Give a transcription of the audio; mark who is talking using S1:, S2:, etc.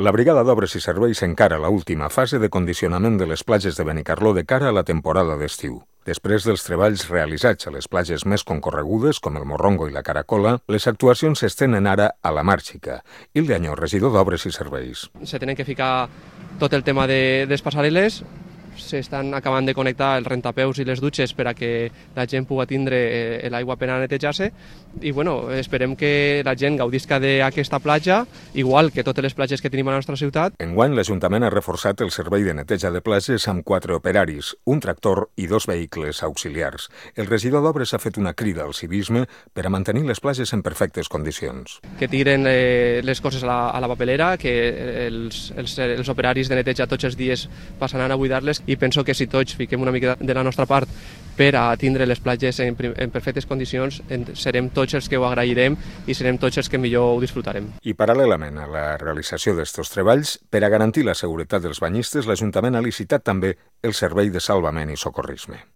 S1: La Brigada d'Obres i Serveis encara l'última fase de condicionament de les platges de Benicarló de cara a la temporada d'estiu. Després dels treballs realitzats a les platges més concorregudes, com el Morrongo i la Caracola, les actuacions s'estenen ara a la Màrxica. Hilde Añó, regidor d'Obres i Serveis.
S2: Se tenen que ficar tot el tema de les passarel·les, s'estan acabant de connectar els rentapeus i les dutxes per a que la gent pugui tindre l'aigua per a netejar-se i esperem que la gent gaudisca d'aquesta platja, igual que totes les platges que tenim a la nostra ciutat.
S1: Enguany, l'Ajuntament ha reforçat el servei de neteja de platges amb 4 operaris, un tractor i 2 vehicles auxiliars. El regidor d'Obres ha fet una crida al civisme per a mantenir les platges en perfectes condicions.
S2: Que tiren les coses a la papelera, que els operaris de neteja tots els dies passaran a buidar-les, i penso que si tots fiquem una mica de la nostra part per a tindre les platges en perfectes condicions, serem tots els que ho agrairem i serem tots els que millor ho disfrutarem.
S1: I paral·lelament a la realització d'estos treballs, per a garantir la seguretat dels banyistes, l'Ajuntament ha licitat també el servei de salvament i socorrisme.